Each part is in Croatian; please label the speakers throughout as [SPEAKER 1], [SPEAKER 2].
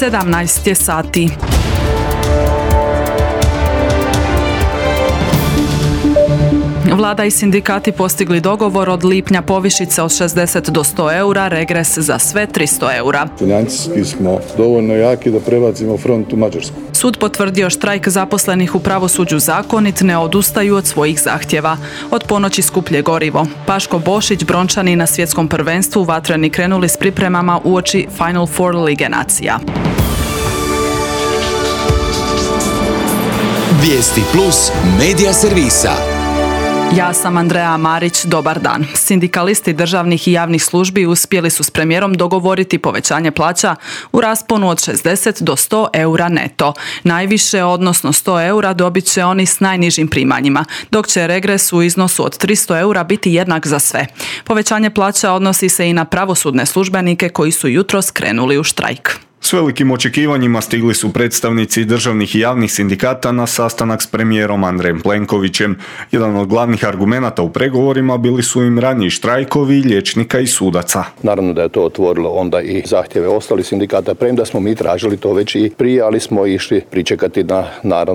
[SPEAKER 1] 17 je sati. Vlada i sindikati postigli dogovor od lipnja povišice od 60 do 100 eura, regres za sve 300 eura.
[SPEAKER 2] Financijski smo dovoljno jaki da prebacimo front u Mađarsku.
[SPEAKER 1] Sud potvrdio štrajk zaposlenih u pravosuđu zakonit, ne odustaju od svojih zahtjeva. Od ponoći skuplje gorivo. Paško Bošić, Brončani na svjetskom prvenstvu vatreni krenuli s pripremama uoči Final Four Lige nacija.
[SPEAKER 3] Vijesti plus medija servisa.
[SPEAKER 1] Ja sam Andreja Marić, dobar dan. Sindikalisti državnih i javnih službi uspjeli su s premijerom dogovoriti povećanje plaća u rasponu od 60 do 100 eura neto. Najviše, odnosno 100 eura, dobit će oni s najnižim primanjima, dok će regres u iznosu od 300 eura biti jednak za sve. Povećanje plaća odnosi se i na pravosudne službenike koji su jutros krenuli u štrajk.
[SPEAKER 4] S velikim očekivanjima stigli su predstavnici državnih i javnih sindikata na sastanak s premijerom Andrejem Plenkovićem. Jedan od glavnih argumenata u pregovorima bili su im raniji štrajkovi liječnika i sudaca.
[SPEAKER 5] Naravno da je to otvorilo onda i zahtjeve ostalih sindikata, premda smo mi tražili to već i prije, ali smo išli pričekati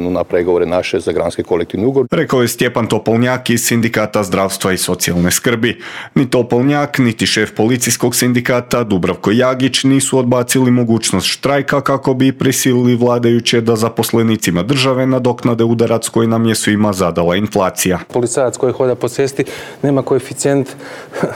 [SPEAKER 5] na pregovore naše za granski kolektivni ugovor.
[SPEAKER 4] Rekao je Stjepan Topolnjak iz Sindikata zdravstva i socijalne skrbi. Ni Topolnjak, niti šef policijskog sindikata Dubravko Jagić nisu odbacili mogućnost štrajka kako bi prisilili vladajuće da zaposlenicima države nadoknade udarac koji nam je svima zadala inflacija.
[SPEAKER 6] Policajac koji hoda po cesti nema koeficijent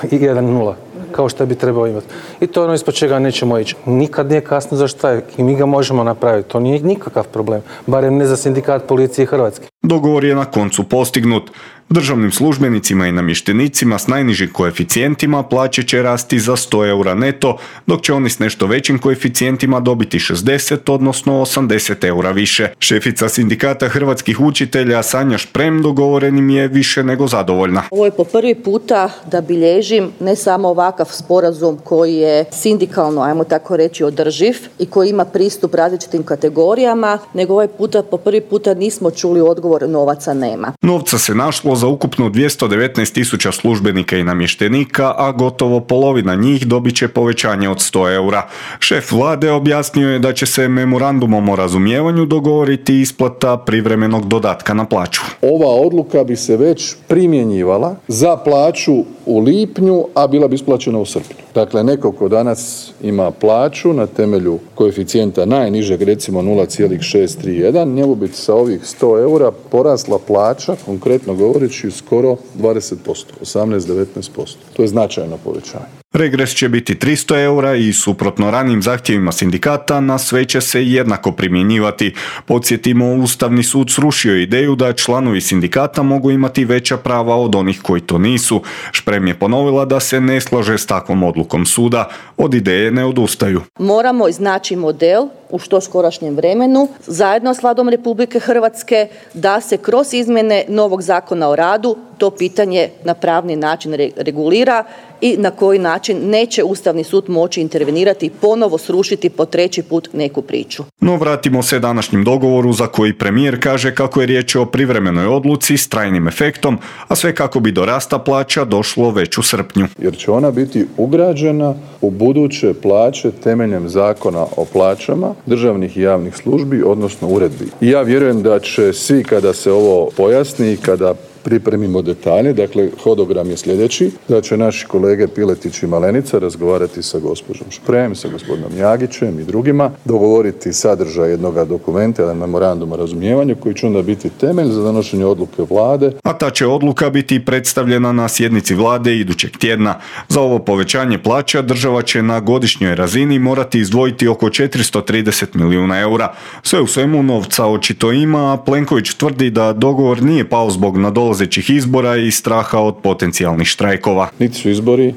[SPEAKER 6] 1,0 kao što bi trebao imati. I to je ono ispod čega nećemo ići. Nikad nije kasno za štrajk i mi ga možemo napraviti. To nije nikakav problem, barem ne za sindikat policije Hrvatske.
[SPEAKER 4] Dogovor je na koncu postignut. Državnim službenicima i namještenicima s najnižim koeficijentima plaće će rasti za 100 eura neto, dok će oni s nešto većim koeficijentima dobiti 60, odnosno 80 eura više. Šefica sindikata hrvatskih učitelja Sanja Šprem dogovorenim je više nego zadovoljna.
[SPEAKER 7] Ovo je po prvi puta da bilježim ne samo ovakav sporazum koji je sindikalno, ajmo tako reći, održiv i koji ima pristup različitim kategorijama, nego ovaj puta po prvi puta nismo čuli odgovor novaca nema.
[SPEAKER 4] Novca se našlo za ukupno 219.000 službenika i namještenika, a gotovo polovina njih dobit će povećanje od 100 eura. Šef vlade objasnio je da će se memorandumom o razumijevanju dogovoriti isplata privremenog dodatka na plaću.
[SPEAKER 2] Ova odluka bi se već primjenjivala za plaću u lipnju, a bila bi isplaćena u srpnju. Dakle, neko ko danas ima plaću na temelju koeficijenta najnižeg, recimo 0,631, njemu bi sa ovih 100 eura porasla plaća, konkretno govoreći, skoro 20%, 18-19%. To je značajno povećanje.
[SPEAKER 4] Regres će biti 300 eura i suprotno ranijim zahtjevima sindikata na sve će se jednako primjenjivati. Podsjetimo, Ustavni sud srušio ideju da članovi sindikata mogu imati veća prava od onih koji to nisu. Šprem je ponovila da se ne slaže s takvom odlukom suda. Od ideje ne odustaju.
[SPEAKER 7] Moramo iznaći model u što skorašnjem vremenu, zajedno s Vladom Republike Hrvatske, da se kroz izmjene novog Zakona o radu to pitanje na pravni način regulira i na koji način neće Ustavni sud moći intervenirati i ponovo srušiti po treći put neku priču.
[SPEAKER 4] No vratimo se današnjem dogovoru za koji premijer kaže kako je riječ o privremenoj odluci s trajnim efektom, a sve kako bi do rasta plaća došlo već u srpnju.
[SPEAKER 2] Jer će ona biti ugrađena u buduće plaće temeljem Zakona o plaćama državnih i javnih službi, odnosno uredbi. I ja vjerujem da će svi, kada se ovo pojasni i kada pripremimo detalje, dakle hodogram je sljedeći, da će naši kolege Piletić i Malenica razgovarati sa gospođom Šprem, sa gospodinom Jagićem i drugima, dogovoriti sadržaj jednoga dokumenta, jedan memorandum o razumijevanju koji će onda biti temelj za donošenje odluke vlade.
[SPEAKER 4] A ta će odluka biti predstavljena na sjednici vlade idućeg tjedna. Za ovo povećanje plaća država će na godišnjoj razini morati izdvojiti oko 430 milijuna eura. Sve u svemu novca očito ima, a Plenković tvrdi da dogovor nije pao zbog nadolazećih izbora i straha od potencijalnih štrajkova.
[SPEAKER 2] Niti su izbori,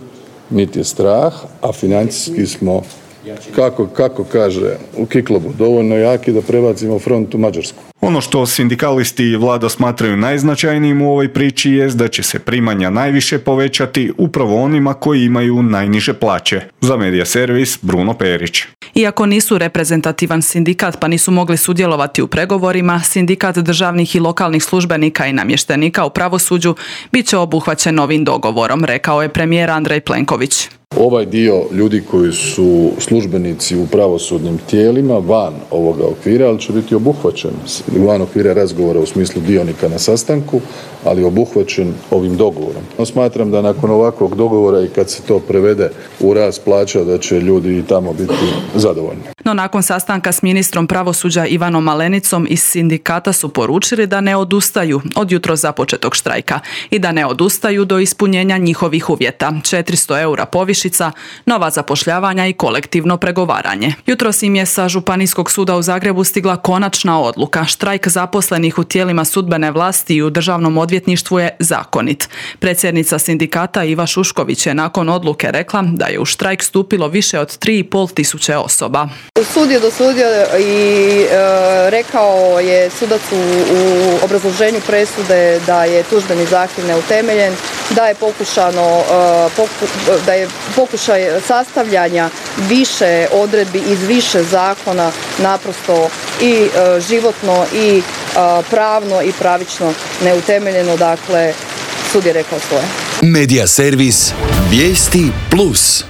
[SPEAKER 2] niti je strah, a financijski smo, kako kaže u Kiklobu, dovoljno jaki da prebacimo front u Mađarsku.
[SPEAKER 4] Ono što sindikalisti i vlada smatraju najznačajnijim u ovoj priči jest da će se primanja najviše povećati upravo onima koji imaju najniže plaće. Za Medija servis Bruno Perić.
[SPEAKER 1] Iako nisu reprezentativan sindikat pa nisu mogli sudjelovati u pregovorima, sindikat državnih i lokalnih službenika i namještenika u pravosuđu bit će obuhvaćen novim dogovorom, rekao je premijer Andrej Plenković.
[SPEAKER 2] Ovaj dio ljudi koji su službenici u pravosudnim tijelima van ovoga okvira, ali će biti obuhvaćen van okvira razgovora u smislu dionika na sastanku, ali obuhvaćen ovim dogovorom. No, smatram da nakon ovakvog dogovora i kad se to prevede u rast plaća da će ljudi i tamo biti zadovoljni.
[SPEAKER 1] No nakon sastanka s ministrom pravosuđa Ivanom Malenicom iz sindikata su poručili da ne odustaju od jutros započetog štrajka i da ne odustaju do ispunjenja njihovih uvjeta. 400 eura povišica, nova zapošljavanja i kolektivno pregovaranje. Jutros im je sa Županijskog suda u Zagrebu stigla konačna odluka. Štrajk zaposlenih u tijelima sudbene vlasti i u državnom odvjetništvu je zakonit. Predsjednica sindikata Iva Šušković je nakon odluke rekla da je u štrajk stupilo više od 3.500 osoba.
[SPEAKER 7] Sud je dosudio i rekao je sudac u obrazloženju presude da je tužbeni zahtjev neutemeljen, da je pokušaj sastavljanja više odredbi iz više zakona naprosto i životno i pravno i pravično neutemeljeno. Dakle, sud je rekao svoje.
[SPEAKER 3] Medija servis Vijesti Plus.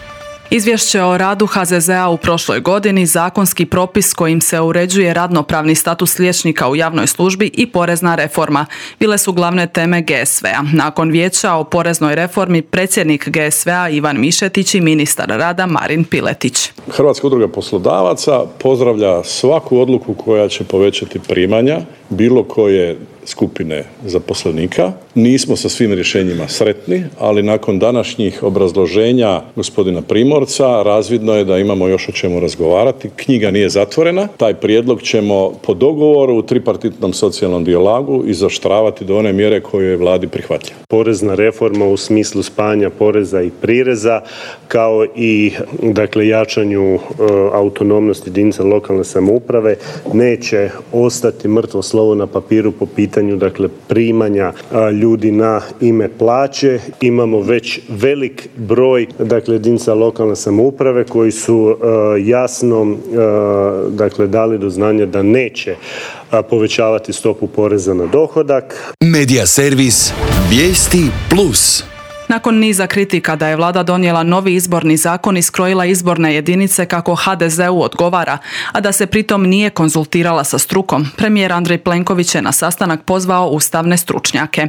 [SPEAKER 1] Izvješće o radu HZZ-a u prošloj godini, zakonski propis kojim se uređuje radnopravni status liječnika u javnoj službi i porezna reforma bile su glavne teme GSV-a. Nakon vijeća o poreznoj reformi predsjednik GSV-a Ivan Mišetić i ministar rada Marin Piletić.
[SPEAKER 8] Hrvatska udruga poslodavaca pozdravlja svaku odluku koja će povećati primanja bilo koje skupine zaposlenika. Nismo sa svim rješenjima sretni, ali nakon današnjih obrazloženja gospodina Primorca razvidno je da imamo još o čemu razgovarati. Knjiga nije zatvorena. Taj prijedlog ćemo po dogovoru u tripartitnom socijalnom dijalogu izoštravati do one mjere koju je vladi prihvatljiva.
[SPEAKER 9] Porezna reforma u smislu spajanja poreza i prireza kao i jačanju autonomnosti jedinica lokalne samouprave neće ostati mrtvo slovo na papiru po pitanju primanja ljudi na ime plaće. Imamo već velik broj jedinica lokalne samouprave koji su jasno dali do znanja da neće povećavati stopu poreza na dohodak.
[SPEAKER 3] Medija servis Vijesti Plus.
[SPEAKER 1] Nakon niza kritika da je vlada donijela novi izborni zakon i skrojila izborne jedinice kako HDZ-u odgovara, a da se pritom nije konzultirala sa strukom, premijer Andrej Plenković je na sastanak pozvao ustavne stručnjake.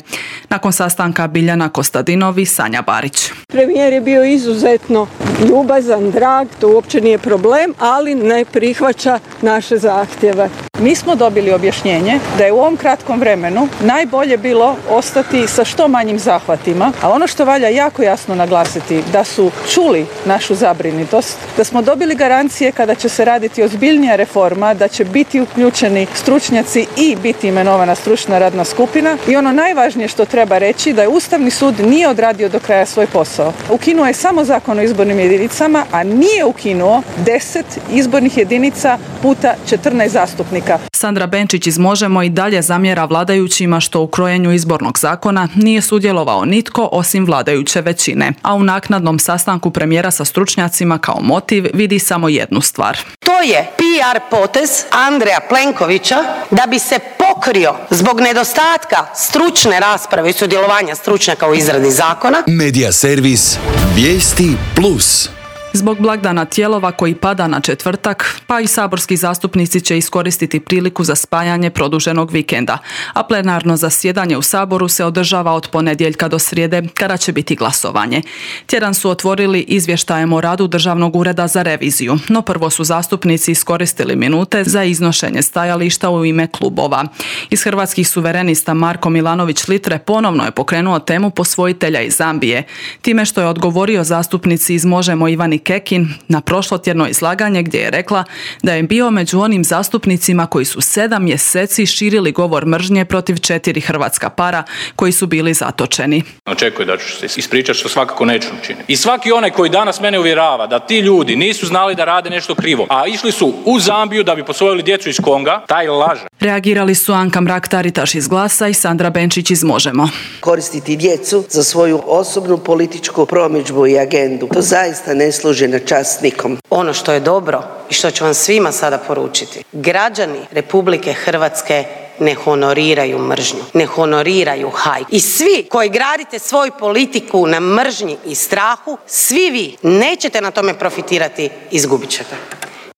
[SPEAKER 1] Nakon sastanka Biljana Kostadinov i Sanja Barić.
[SPEAKER 10] Premijer je bio izuzetno ljubazan, drag, to uopće nije problem, ali ne prihvaća naše zahtjeve.
[SPEAKER 11] Mi smo dobili objašnjenje da je u ovom kratkom vremenu najbolje bilo ostati sa što manjim zahvatima, a ono što valja jako jasno naglasiti da su čuli našu zabrinutost, da smo dobili garancije kada će se raditi ozbiljnija reforma, da će biti uključeni stručnjaci i biti imenovana stručna radna skupina i ono najvažnije što treba reći da je Ustavni sud nije odradio do kraja svoj posao. Ukinuo je samo Zakon o izbornim jedinicama, a nije ukinuo 10 izbornih jedinica puta 14 zastupnika.
[SPEAKER 1] Sandra Benčić iz Možemo i dalje zamjera vladajućima što u krojenju izbornog zakona nije sudjelovao nitko osim vladajuće većine, a u naknadnom sastanku premijera sa stručnjacima kao motiv vidi samo jednu stvar.
[SPEAKER 12] To je PR potez Andreja Plenkovića da bi se pokrio zbog nedostatka stručne rasprave i sudjelovanja stručnjaka u izradi zakona.
[SPEAKER 3] Medija servis Vijesti Plus.
[SPEAKER 1] Zbog blagdana Tijelova koji pada na četvrtak, pa i saborski zastupnici će iskoristiti priliku za spajanje produženog vikenda, a plenarno zasjedanje u Saboru se održava od ponedjeljka do srijede kada će biti glasovanje. Tjedan su otvorili izvještajem o radu Državnog ureda za reviziju, no prvo su zastupnici iskoristili minute za iznošenje stajališta u ime klubova. Iz Hrvatskih suverenista Marko Milanović Litre ponovno je pokrenuo temu posvojitelja iz Zambije, time što je odgovorio zastupnici iz Možemo Ivani Kekin na prošlotjedno izlaganje gdje je rekla da je bio među onim zastupnicima koji su 7 mjeseci širili govor mržnje protiv 4 hrvatska para koji su bili zatočeni.
[SPEAKER 13] Očekuje da ću se ispričati što svakako neću učiniti. I svaki onaj koji danas mene uvjerava da ti ljudi nisu znali da rade nešto krivo, a išli su u Zambiju da bi posvojili djecu iz Konga, taj laže.
[SPEAKER 1] Reagirali su Anka Mrak-Taritaš iz Glasa i Sandra Benčić iz Možemo.
[SPEAKER 14] Koristiti djecu za svoju osobnu političku promidžbu i agendu, to zaista ne služi na čast nikom.
[SPEAKER 12] Ono što je dobro i što ću vam svima sada poručiti, građani Republike Hrvatske ne honoriraju mržnju, ne honoriraju hajku. I svi koji gradite svoju politiku na mržnji i strahu, svi vi nećete na tome profitirati, izgubit ćete.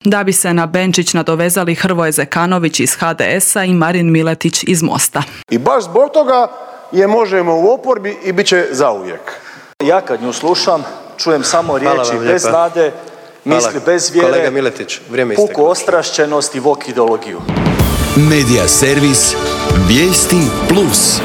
[SPEAKER 1] Da bi se na Benčić nadovezali Hrvoje Zekanović iz HDS-a i Marin Miletić iz Mosta.
[SPEAKER 15] I baš zbog toga je Možemo u oporbi i bit će zauvijek. Ja kad nju slušam, čujem samo riječi bez nade, misli bez vjere, kolega Miletić, puku ostrašćenost i vok ideologiju.
[SPEAKER 3] Medija servis Vijesti Plus.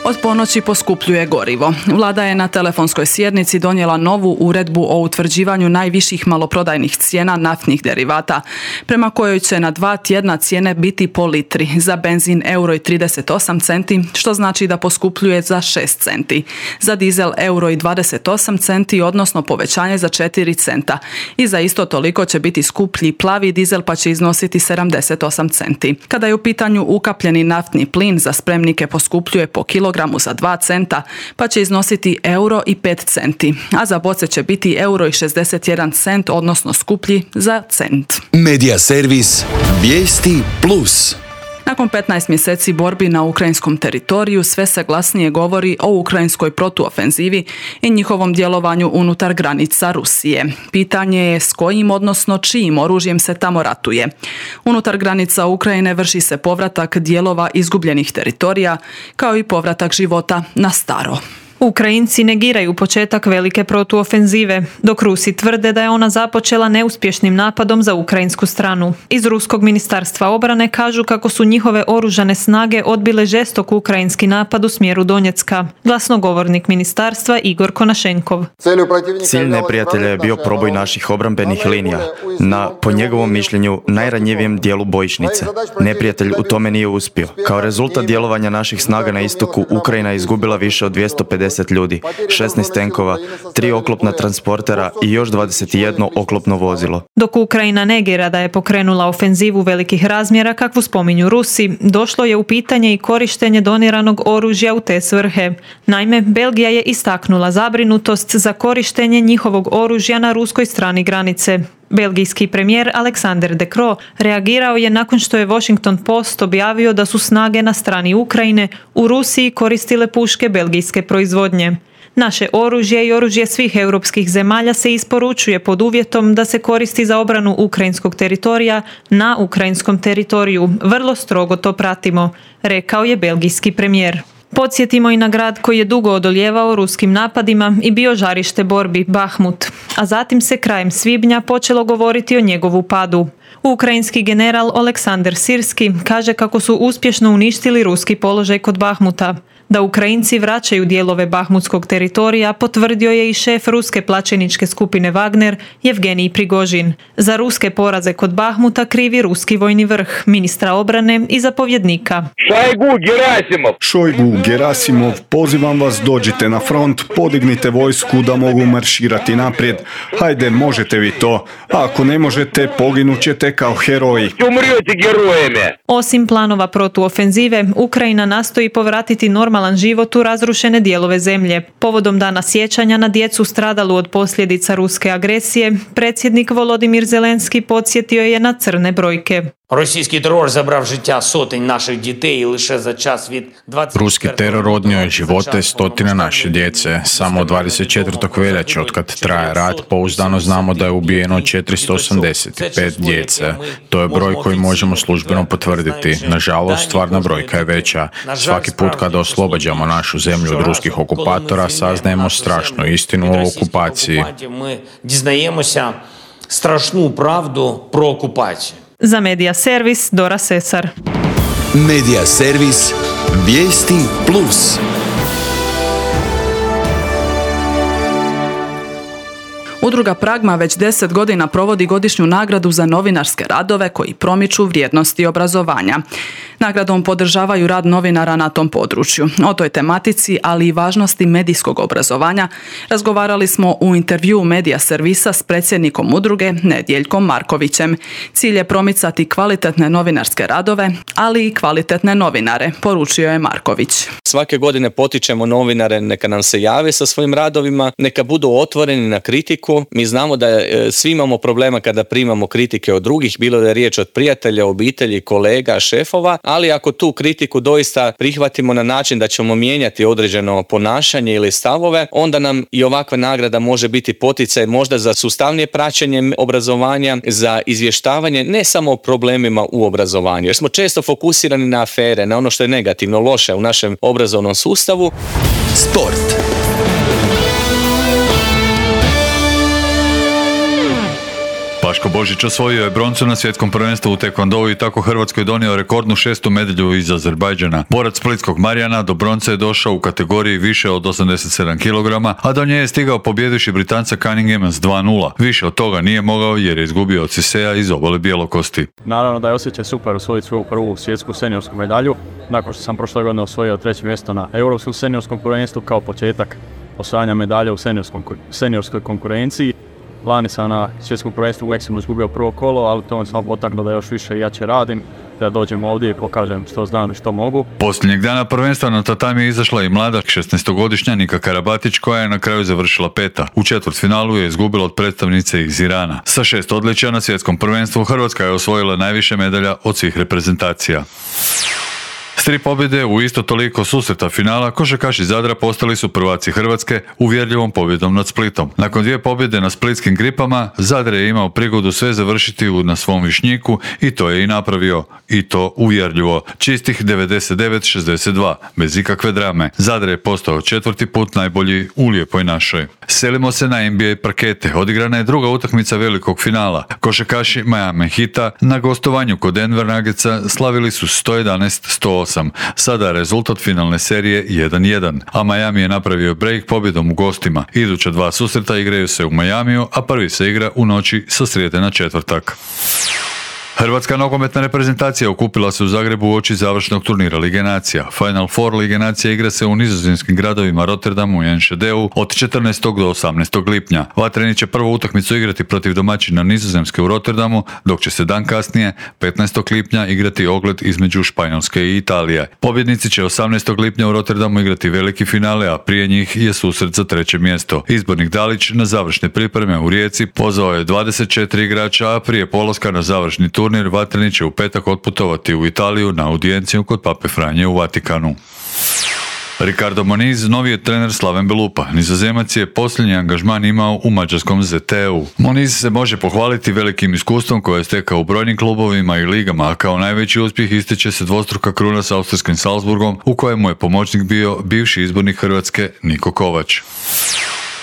[SPEAKER 1] Od ponoći poskupljuje gorivo. Vlada je na telefonskoj sjednici donijela novu uredbu o utvrđivanju najviših maloprodajnih cijena naftnih derivata, prema kojoj će na 2 tjedna cijene biti po litri. Za benzin €1,38, što znači da poskupljuje za 6 centi. Za dizel €1,28, odnosno povećanje za 4 centa. I za isto toliko će biti skuplji plavi dizel, pa će iznositi 78 centi. Kada je u pitanju ukapljeni naftni plin, za spremnike poskupljuje po kilogramu za 2 centa, pa će iznositi €1,05, a za boce će biti €1,61, odnosno skuplji za cent.
[SPEAKER 3] Medija servis Vijesti Plus.
[SPEAKER 1] Nakon 15 mjeseci borbi na ukrajinskom teritoriju sve se glasnije govori o ukrajinskoj protuofenzivi i njihovom djelovanju unutar granica Rusije. Pitanje je s kojim, odnosno čijim oružjem se tamo ratuje. Unutar granica Ukrajine vrši se povratak dijelova izgubljenih teritorija, kao i povratak života na staro.
[SPEAKER 16] Ukrajinci negiraju početak velike protuofenzive, dok Rusi tvrde da je ona započela neuspješnim napadom za ukrajinsku stranu. Iz Ruskog ministarstva obrane kažu kako su njihove oružane snage odbile žestok ukrajinski napad u smjeru Donjecka. Glasnogovornik ministarstva Igor Konašenkov.
[SPEAKER 17] Cilj neprijatelja je bio proboj naših obrambenih linija na, po njegovom mišljenju, najranjivijem dijelu bojišnice. Neprijatelj u tome nije uspio. Kao rezultat djelovanja naših snaga na istoku, Ukrajina je izgubila više od 250 ljudi, 16 tenkova, 3 oklopna transportera i još 21 oklopno vozilo.
[SPEAKER 16] Dok Ukrajina negira da je pokrenula ofenzivu velikih razmjera kakvu spominju Rusi, došlo je u pitanje i korištenje doniranog oružja u te svrhe. Naime, Belgija je istaknula zabrinutost za korištenje njihovog oružja na ruskoj strani granice. Belgijski premijer Alexander De Croo reagirao je nakon što je Washington Post objavio da su snage na strani Ukrajine u Rusiji koristile puške belgijske proizvodnje. Naše oružje i oružje svih europskih zemalja se isporučuje pod uvjetom da se koristi za obranu ukrajinskog teritorija na ukrajinskom teritoriju. Vrlo strogo to pratimo, rekao je belgijski premijer. Podsjetimo i na grad koji je dugo odoljevao ruskim napadima i bio žarište borbi, Bahmut, a zatim se krajem svibnja počelo govoriti o njegovu padu. Ukrajinski general Oleksandr Sirski kaže kako su uspješno uništili ruski položaj kod Bahmuta. Da Ukrajinci vraćaju dijelove bahmutskog teritorija potvrdio je i šef ruske plaćeničke skupine Wagner, Jevgenij Prigožin. Za ruske poraze kod Bahmuta krivi ruski vojni vrh, ministra obrane i zapovjednika.
[SPEAKER 4] Šojgu, Gerasimov, pozivam vas, dođite na front, podignite vojsku da mogu marširati naprijed. Hajde, možete vi to. A ako ne možete, poginut ćete kao heroji.
[SPEAKER 16] Osim planova protuofenzive, Ukrajina nastoji povratiti normalan život u razrušene dijelove zemlje. Povodom dana sjećanja na djecu stradalu od posljedica ruske agresije, predsjednik Volodimir Zelenski podsjetio je na crne brojke.
[SPEAKER 18] Російський терор забрав життя сотень наших дітей і лише за час від 24.
[SPEAKER 19] Ruski teror odnio je živote stotina naše djece. Samo 24. veljače, otkad traje rat, pouzdano znamo da je ubijeno 485 djece. To je broj koji možemo službeno potvrditi. Nažalost, stvarna brojka je veća. Svaki put kada oslobađamo našu zemlju od ruskih okupatora, saznajemo strašnu istinu o okupaciji.
[SPEAKER 18] Ми дізнаємося страшну правду про окупацію.
[SPEAKER 16] Za Medija servis Dora Sesar.
[SPEAKER 3] Medija servis Vijesti Plus.
[SPEAKER 1] Udruga Pragma već 10 godina provodi godišnju nagradu za novinarske radove koji promiču vrijednosti obrazovanja. Nagradom podržavaju rad novinara na tom području. O toj tematici, ali i važnosti medijskog obrazovanja, razgovarali smo u intervjuu Medija servisa s predsjednikom udruge Nedjeljkom Markovićem. Cilj je promicati kvalitetne novinarske radove, ali i kvalitetne novinare, poručio je Marković.
[SPEAKER 20] Svake godine potičemo novinare neka nam se jave sa svojim radovima, neka budu otvoreni na kritiku. Mi znamo da svi imamo problema kada primamo kritike od drugih, bilo da je riječ od prijatelja, obitelji, kolega, šefova, ali ako tu kritiku doista prihvatimo na način da ćemo mijenjati određeno ponašanje ili stavove, onda nam i ovakva nagrada može biti poticaj možda za sustavnije praćenje obrazovanja, za izvještavanje ne samo o problemima u obrazovanju, jer smo često fokusirani na afere, na ono što je negativno, loše u našem obrazovnom sustavu.
[SPEAKER 3] Sport.
[SPEAKER 21] Paško Božić osvojio je broncu na svjetskom prvenstvu u tekvondou i tako Hrvatskoj donio rekordnu 6. medalju iz Azerbajdžana. Borac splitskog Marijana do bronce je došao u kategoriji više od 87 kg, a do nje je stigao pobjedivši Britanca Cunninghama s 2:0. Više od toga nije mogao jer je izgubio od Sisea iz Obale Bjelokosti.
[SPEAKER 22] Naravno da je osjećaj super osvojiti svoju prvu svjetsku seniorsku medalju, nakon što sam prošle godine osvojio 3. mjesto na Europskom seniorskom prvenstvu kao početak osvajanja medalja u seniorskoj konkurenciji. Lani sam na svjetskom prvenstvu u Meksiku izgubio prvo kolo, ali to me samo potaklo da još više i jače radim, da dođem ovdje i pokažem što znam i što mogu.
[SPEAKER 21] Posljednjeg dana prvenstva na tatami je izašla i mlada 16-godišnja Nika Karabatić koja je na kraju završila 5. U četvrtfinalu je izgubila od predstavnice iz Irana. Sa 6 odličja na svjetskom prvenstvu Hrvatska je osvojila najviše medalja od svih reprezentacija. S 3 pobjede u isto toliko susreta finala, košarkaši Zadra postali su prvaci Hrvatske uvjerljivom pobjedom nad Splitom. Nakon 2 pobjede na splitskim Gripama, Zadar je imao prigodu sve završiti na svom Višnjiku i to je i napravio. I to uvjerljivo. Čistih 99-62, bez ikakve drame. Zadar je postao 4. put najbolji u Lijepoj našoj. Selimo se na NBA parkete. Odigrana je druga utakmica velikog finala. Košarkaši Miami Heata na gostovanju kod Denver Nuggetsa slavili su 111-108. Sada je rezultat finalne serije 1:1, a Miami je napravio break pobjedom u gostima. Iduća 2 susreta igraju se u Miamiju, a prvi se igra u noći sa srijede na četvrtak. Hrvatska nogometna reprezentacija okupila se u Zagrebu uoči završnog turnira Lige nacija. Final Four Lige nacija igra se u nizozemskim gradovima Rotterdamu i Enschedeu od 14. do 18. lipnja. Vatreni će prvu utakmicu igrati protiv domaćina Nizozemske u Rotterdamu, dok će se dan kasnije, 15. lipnja, igrati ogled između Španjolske i Italije. Pobjednici će 18. lipnja u Rotterdamu igrati veliki finale, a prije njih je susret za 3. mjesto. Izbornik Dalić na završne pripreme u Rijeci pozvao je 24 igrača, a prije polaska na završni turnir Vatreni će u petak otputovati u Italiju na audijenciju kod Pape Franje u Vatikanu. Ricardo Moniz, novi je trener Slaven Belupa. Nizozemac je posljednji angažman imao u mađarskom ZTE-u. Moniz se može pohvaliti velikim iskustvom koje je stekao u brojnim klubovima i ligama, a kao najveći uspjeh ističe se dvostruka kruna s austrijskim Salzburgom, u kojemu je pomoćnik bio bivši izbornik Hrvatske Niko Kovač.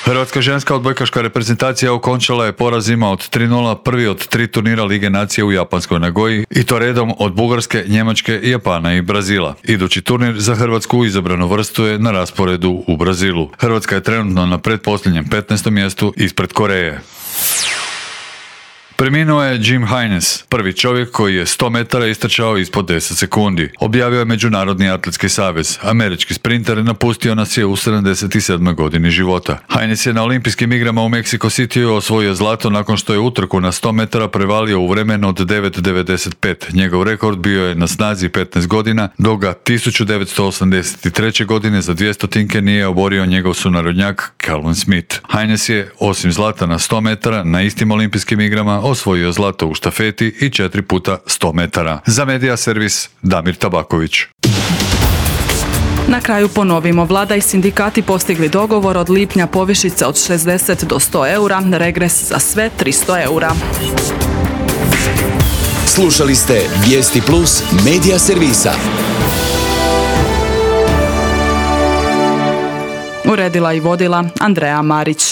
[SPEAKER 21] Hrvatska ženska odbojkaška reprezentacija okončala je porazima od 3:0 prvi od 3 turnira Lige nacije u japanskoj Nagoji, i to redom od Bugarske, Njemačke, Japana i Brazila. Idući turnir za Hrvatsku izabranu vrstu je na rasporedu u Brazilu. Hrvatska je trenutno na pretposljednjem 15. mjestu ispred Koreje. Preminuo je Jim Haines, prvi čovjek koji je 100 metara istrčao ispod 10 sekundi. Objavio je Međunarodni atletski savez. Američki sprinter napustio nas je u 77. godini života. Haines je na olimpijskim igrama u Mexico Cityu osvojio zlato nakon što je utrku na 100 metara prevalio u vremenu od 9:95. Njegov rekord bio je na snazi 15 godina, dok ga 1983. godine za 200 nije oborio njegov sunarodnjak Calvin Smith. Haines je, osim zlata na 100 metara, na istim olimpijskim igrama osvojio zlato u štafeti i 4 puta 100 metara. Za Medija servis Damir Tabaković.
[SPEAKER 1] Na kraju ponovimo, vlada i sindikati postigli dogovor od lipnja povišice od 60 do 100 eura, regres za sve 300 eura.
[SPEAKER 3] Slušali ste Vijesti Plus Medija servisa.
[SPEAKER 1] Uredila i vodila Andreja Marić.